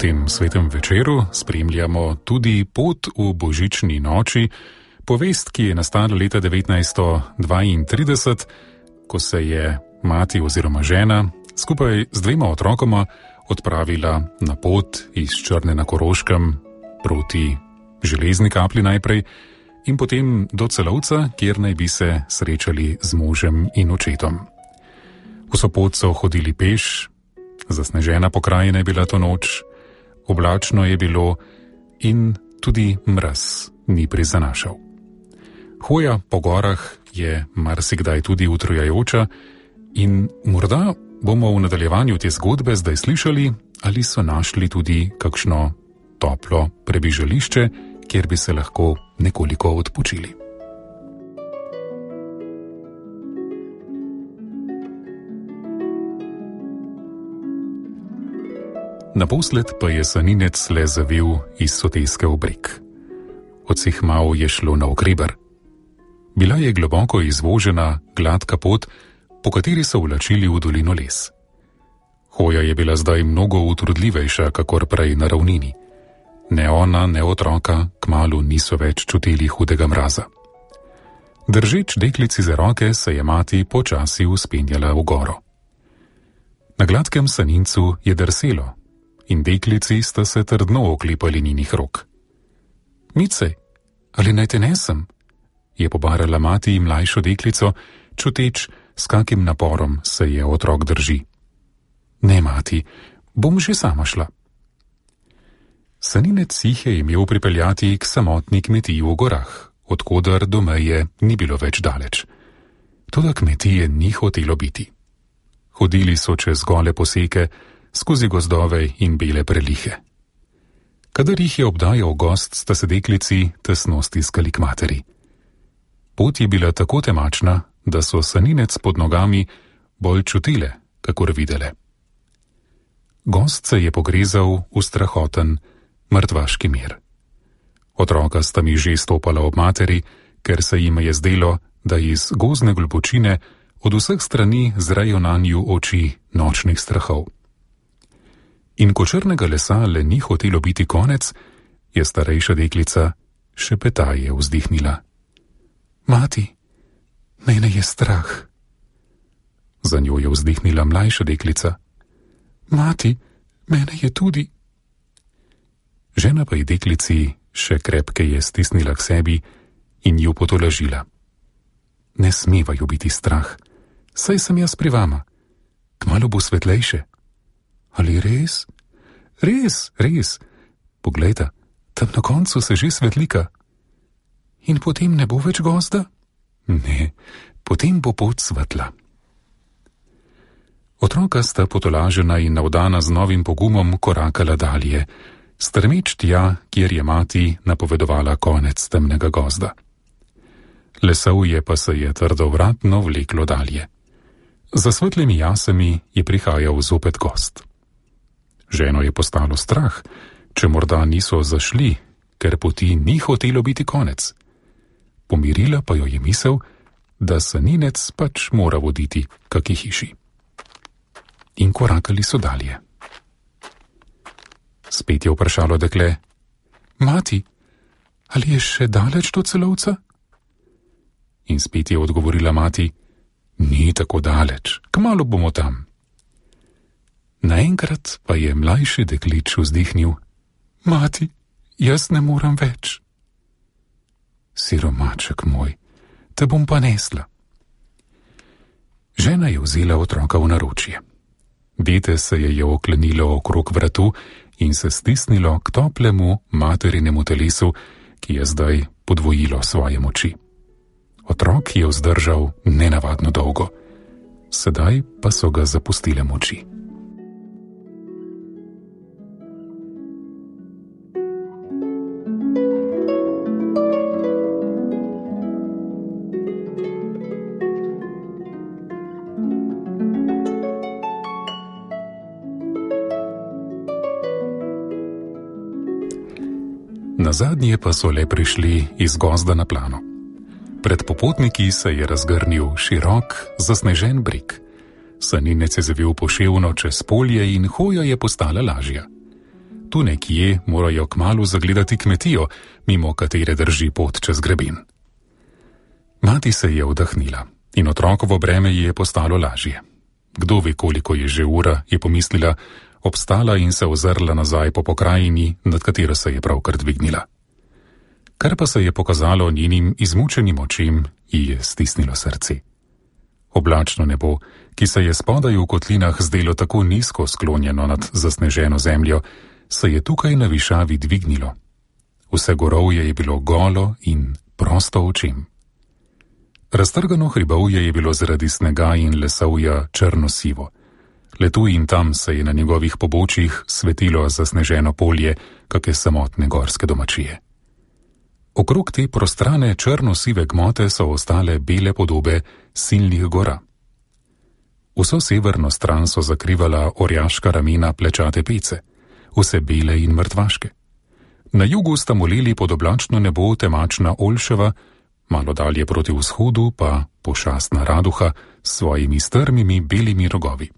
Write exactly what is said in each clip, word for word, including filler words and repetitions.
tem svetem večeru spremljamo tudi Pot v božični noči, povest, ki je nastala leta devetnajststo dvaintrideset, ko se je mati oziroma žena skupaj z dvema otrokoma odpravila na pot iz Črne na Koroškem proti Železni Kapli najprej in potem do Celovca, kjer naj bi se srečali z možem in očetom. Vso pot so hodili peš, zasnežena pokrajina je bila to noč, oblačno je bilo in tudi mraz ni prizanašal. Hoja po gorah je marsikdaj tudi utrujajoča in morda bomo v nadaljevanju te zgodbe zdaj slišali, ali so našli tudi kakšno toplo prebižališče, kjer bi se lahko nekoliko odpočili. Naposled pa je saninec le zavil iz soteske v breg. Odsihmal je šlo na okreber. Bila je globoko izvožena, gladka pot, po kateri so vlačili v dolino les. Hoja je bila zdaj mnogo utrudljivejša, kakor prej na ravnini. Ne ona, ne otroka kmalu niso več čutili hudega mraza. Držeč deklici za roke se je mati počasi vzpenjala v goro. Na gladkem sanincu je drselo in deklici sta se trdno oklepali njenih rok. Mice, ali naj te nesem? Je pobarala mati mlajšo deklico, čuteč, s kakim naporom se je otrok drži. Ne, mati, bom že sama šla. Saninec jih je imel pripeljati k samotni kmetiji v gorah, odkoder do meje ni bilo več daleč. Toda kmetije ni hotelo biti. Hodili so čez gole poseke, skozi gozdove in bele prelihe. Kadar jih je obdajal gost, sta se deklici tesno stiskali k materi. Pot je bila tako temačna, da so saninec pod nogami bolj čutile, kakor videle. Gost se je pogrezal v strahoten, mrtvaški mir. Otroka sta mi že stopala ob materi, ker se jim je zdelo, da iz gozdne globočine od vseh strani zrejo nanju oči nočnih strahov. In ko črnega lesa le ni hotelo biti konec, je starejša deklica šepetaje vzdihnila. Mati, mene je strah. Za njo je vzdihnila mlajša deklica. Mati, mene je tudi. Žena pa je deklici še krepkeje stisnila k sebi in ju potolažila. Ne smeva ju biti strah, saj sem jaz pri vama. Kmalu bo svetlejše. Ali res? Res, res. Poglejta, tam na koncu se že svetlika. In potem ne bo več gozda? Ne, potem bo pot svetla. Otroka sta potolažena in navdana z novim pogumom korakala dalje, strmeč tja, kjer je mati napovedovala konec temnega gozda. Lesovje pa se je trdovratno vleklo dalje. Za svetlimi jasemi je prihajal zopet gost. Ženo je postalo strah, če morda niso zašli, ker poti ni hotelo biti konec. Pomirila pa jo je misel, da saninec pač mora voditi kaki hiši. In korakali so dalje. Spet je vprašalo dekle, mati, ali je še daleč do Celovca? In spet je odgovorila mati, ni tako daleč, kmalu bomo tam. Naenkrat pa je mlajši deklič vzdihnil, mati, jaz ne moram več. Siromaček moj, te bom pa nesla. Žena je vzela otroka v naročje. Dete se je oklenilo okrog vratu in se stisnilo k toplemu materinemu telesu, ki je zdaj podvojilo svoje moči. Otrok je vzdržal nenavadno dolgo, sedaj pa so ga zapustile moči. Nazadnje pa so le prišli iz gozda na plano. Pred popotniki se je razgrnil širok, zasnežen breg. Saninec je zavil poševno čez polje in hoja je postala lažja. tu nekje morajo kmalu zagledati kmetijo, mimo katere drži pot čez greben. Mati se je vdahnila in otrokovo breme ji je postalo lažje. Kdo ve, koliko je že ura, je pomislila, obstala in se ozrla nazaj po pokrajini, nad katero se je pravkar dvignila. Kar pa se je pokazalo njenim izmučenim očem, ji je stisnilo srce. Oblačno nebo, ki se je spodaj v kotlinah zdelo tako nizko sklonjeno nad zasneženo zemljo, se je tukaj na višavi dvignilo. Vse gorovje je bilo golo in prosto očem. Raztrgano hribovje je bilo zaradi snega in lesovja črno-sivo. Le tu in tam se je na njegovih pobočjih svetilo zasneženo polje kake samotne gorske domačije. Okrog te prostrane črno-sive gmote so ostale bele podobe silnih gora. Vso severno stran so zakrivala orjaška ramena plečate pece, vse bele in mrtvaške. Na jugu sta molili pod oblačno nebo temačna Olševa, malo dalje proti vzhodu pa pošastna Raduha s svojimi strmimi belimi rogovi.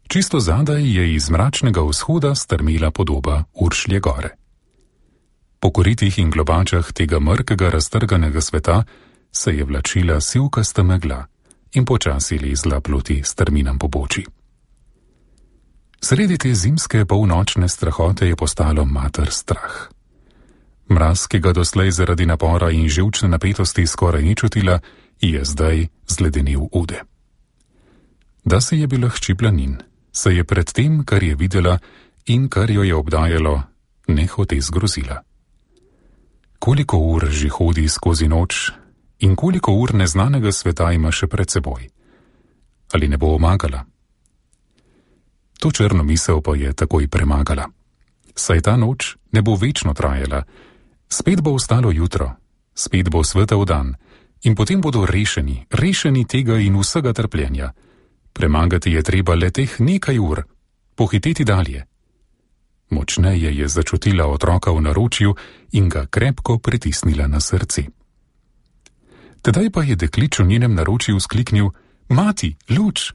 Čisto zadaj je iz mračnega vzhoda strmela podoba Uršlje gore. Po koritih in globačah tega mrkega raztrganega sveta se je vlačila sivkasta megla in počasi lezla proti strminam pobočij. Sredi te zimske polnočne strahote je postalo mater strah. Mraz, ki ga doslej zaradi napora in živčne napetosti skoraj ni čutila, je zdaj zledenil ude. Da se je bila hči planin, se je pred tem, kar je videla in kar jo je obdajalo, nehote zgrozila. Koliko ur že hodi skozi noč in koliko ur neznanega sveta ima še pred seboj? Ali ne bo omagala? To črno misel pa je takoj premagala. Saj ta noč ne bo večno trajala, spet bo ostalo jutro, spet bo svetel dan in potem bodo rešeni, rešeni tega in vsega trpljenja. Premagati je treba le teh nekaj ur, pohiteti dalje. Močneje je začutila otroka v naročju in ga krepko pritisnila na srce. Tedaj pa je deklič v njenem naročju vzkliknil: Mati, luč!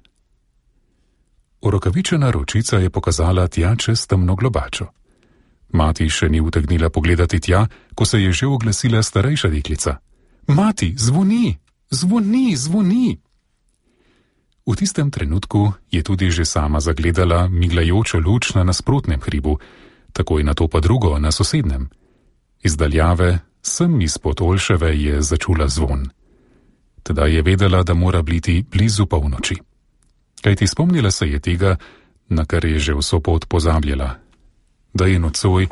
Orokavičena ročica je pokazala tja čez temno globačo. Mati še ni utegnila pogledati tja, ko se je že oglasila starejša deklica. Mati, zvoni, zvoni, zvoni! V tistem trenutku je tudi že sama zagledala miglajočo luč na nasprotnem hribu, takoj nato pa drugo na sosednjem. Iz daljave, sem izpod Olševe, je začula zvon. Teda je vedela, da mora biti blizu polnoči. Kajti spomnila se je tega, na kar je že vso pot pozabljala, da je nocoj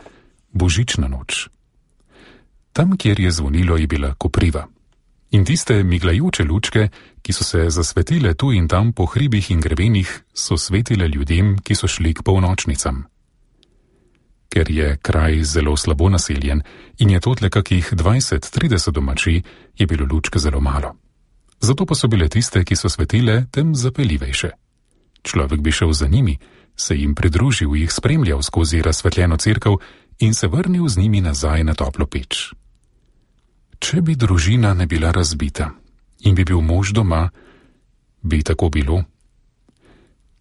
božična noč. Tam, kjer je zvonilo, je bila kopriva. In tiste miglajoče lučke, ki so se zasvetile tu in tam po hribih in grebenih, so svetile ljudem, ki so šli k polnočnicam. Ker je kraj zelo slabo naseljen in je totle kakih dvajset trideset domačij, je bilo lučke zelo malo. Zato pa so bile tiste, ki so svetile, tem zapeljivejše. Človek bi šel za njimi, se jim pridružil, jih spremljal skozi razsvetljeno cerkev in se vrnil z njimi nazaj na toplo peč. Če bi družina ne bila razbita in bi bil mož doma, bi tako bilo.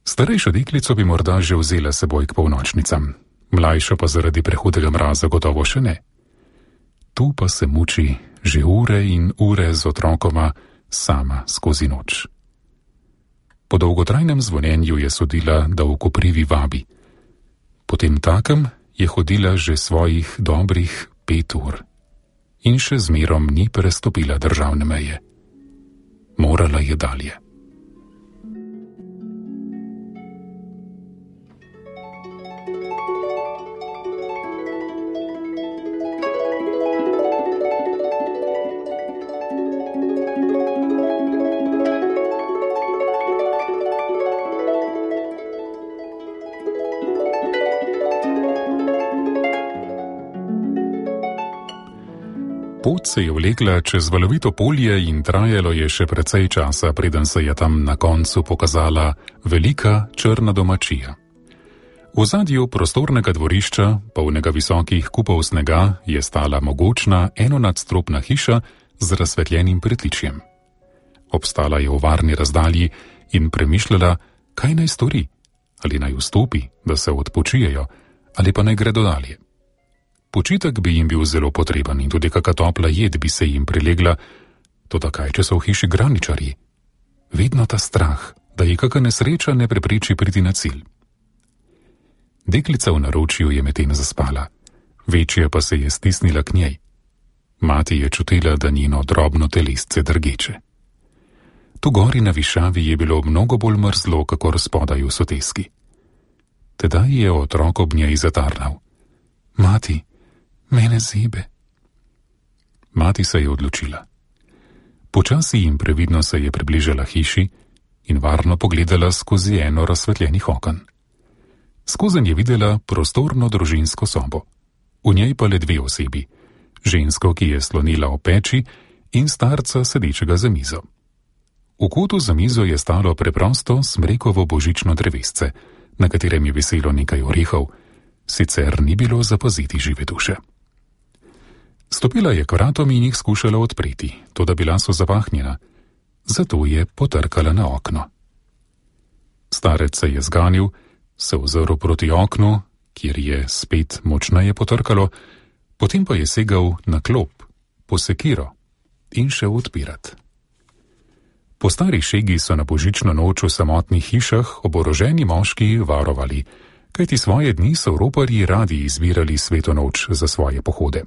Starejšo deklico bi morda že vzela seboj k polnočnicam, mlajšo pa zaradi prehudega mraza gotovo še ne. Tu pa se muči že ure in ure z otrokoma sama skozi noč. Po dolgotrajnem zvonjenju je sodila, da v koprivi vabi. Potem takem je hodila že svojih dobrih pet ur. In še zmerom ni prestopila državne meje. Morala je dalje. Pot se je vlekla čez valovito polje in trajalo je še precej časa, preden se je tam na koncu pokazala velika črna domačija. V ozadju prostornega dvorišča, polnega visokih kupov snega, je stala mogočna enonadstropna hiša z razsvetljenim pritličjem. Obstala je v varni razdalji in premišljala, kaj naj stori, ali naj vstopi, da se odpočijejo, ali pa naj gredo dalje. Počitek bi jim bil zelo potreben in tudi kaka topla jed bi se jim prilegla, toda kaj, če so v hiši graničarji? Vedno ta strah, da ji kaka nesreča ne prepreči priti na cilj. Deklica v naročju je medtem zaspala, večja pa se je stisnila k njej. Mati je čutila, da njeno drobno telesce drgeče. Tu gori na višavi je bilo mnogo bolj mrzlo, kakor spodaj v soteski. Tedaj je otrok ob njej zatarnal. Mati, mene zebe. Mati se je odločila. Počasi in previdno se je približala hiši in varno pogledala skozi eno razsvetljenih oken. Skozenj je videla prostorno družinsko sobo. V njej pa le dve osebi, žensko, ki je slonila v peči, in starca sedečega za mizo. V kotu za mizo je stalo preprosto smrekovo božično drevesce, na katerem je viselo nekaj orehov, sicer ni bilo zapaziti žive duše. Stopila je k vratom in jih skušala odpreti, toda bila so zapahnjena, zato je potrkala na okno. Starec se je zganil, se ozrl proti oknu, kjer je spet močneje potrkalo, potem pa je segal na klop, po sekiro in šel odpirat. Po stari šegi so na božično noč v samotnih hišah oboroženi moški varovali, kajti svoje dni so roparji radi izbirali sveto noč za svoje pohode.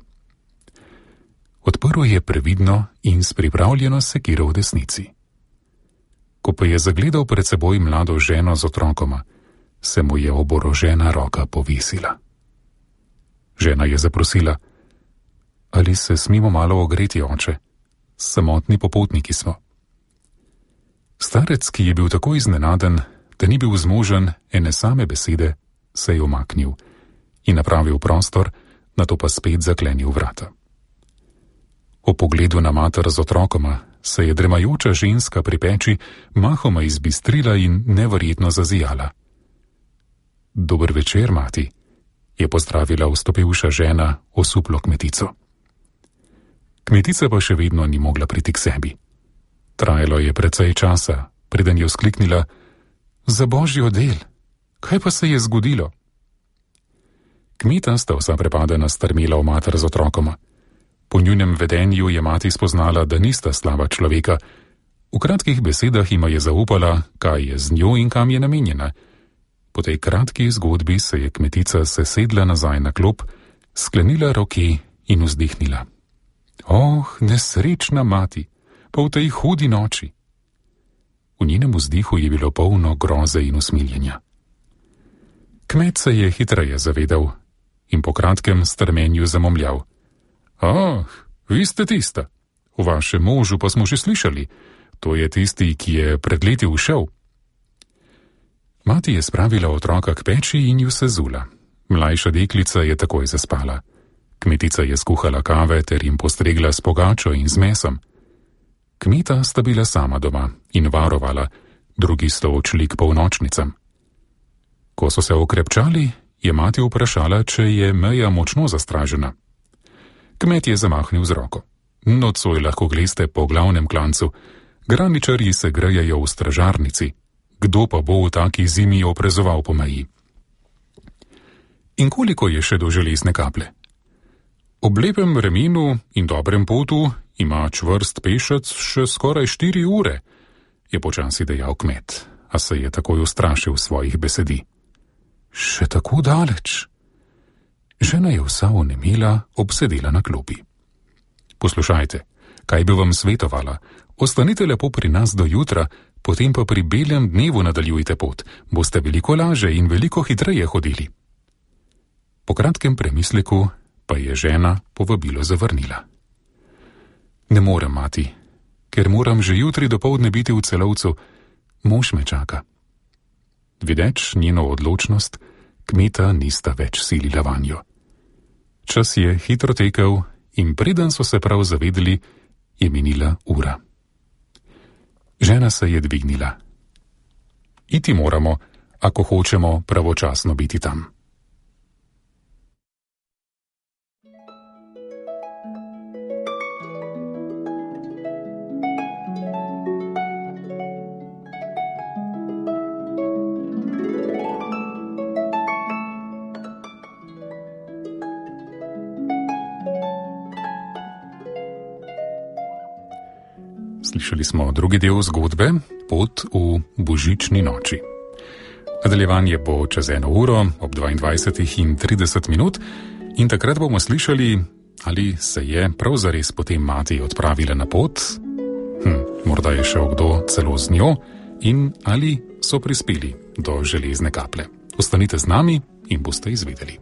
Odprl je previdno in s pripravljeno sekiro v desnici. Ko pa je zagledal pred seboj mlado ženo z otrokoma, se mu je oborožena roka povisila. Žena je zaprosila: ali se smemo malo ogreti, oče? Samotni popotniki smo. Starec, ki je bil tako iznenaden, da ni bil zmožen ene same besede, se je umaknil in napravil prostor, nato pa spet zaklenil vrata. O pogledu na mater z otrokoma se je dremajoča ženska pri peči mahoma izbistrila in neverjetno zazijala. Dober večer, mati, je pozdravila vstopivša žena osuplo kmetico. Kmetica pa še vedno ni mogla priti k sebi. Trajalo je precej časa, preden je vzkliknila: za božjo del, kaj pa se je zgodilo? Kmeta sta vsa prepadena strmela v mater z otrokoma. Po njunem vedenju je mati spoznala, da nista slaba človeka. V kratkih besedah jima je zaupala, kaj je z njo in kam je namenjena. Po tej kratki zgodbi se je kmetica sesedla nazaj na klop, sklenila roke in vzdihnila. Oh, nesrečna mati, pa v tej hudi noči. V njenem vzdihu je bilo polno groze in usmiljenja. Kmet se je hitreje zavedal in po kratkem strmenju zamomljal. Ah, vi ste tista. O vašem možu pa smo že slišali. To je tisti, ki je pred leti ušel. Mati je spravila otroka k peči in ju sezula. Mlajša deklica je takoj zaspala. Kmetica je skuhala kave ter jim postregla s pogačo in z mesom. Kmeta sta bila sama doma in varovala, drugi sta odšli k polnočnicam. Ko so se okrepčali, je mati vprašala, če je meja močno zastražena. Kmet je zamahnil z roko. Nocoj lahko gleste po glavnem klancu. Graničarji se grejejo v stražarnici. Kdo pa bo v taki zimi oprezoval po meji? In koliko je še do železne kaple? Ob lepem remenu in dobrem potu ima čvrst pešec še skoraj štiri ure, je počasi dejal kmet, a se je takoj ustrašil svojih besedi. Še tako daleč? Žena je vsa onemela, obsedela na klopi. Poslušajte, kaj bi vam svetovala? Ostanite lepo pri nas do jutra, potem pa pri belem dnevu nadaljujte pot, boste veliko laže in veliko hitreje hodili. Po kratkem premisleku pa je žena povabilo zavrnila. Ne morem, mati, ker moram že jutri dopoldne biti v Celovcu, mož me čaka. Videč njeno odločnost, kmeta nista več silila vanjo. Čas je hitro tekel in preden so se prav zavedeli, je minila ura. Žena se je dvignila. Iti moramo, ako hočemo pravočasno biti tam. Slišali smo drugi del zgodbe Pot v božični noči. Nadaljevanje bo čez eno uro ob dvaindvajset in trideset minut in takrat bomo slišali, ali se je prav zares potem mati odpravila na pot, hm, morda je šel kdo celo z njo in ali so prispeli do železne kaple. Ostanite z nami in boste izvedeli.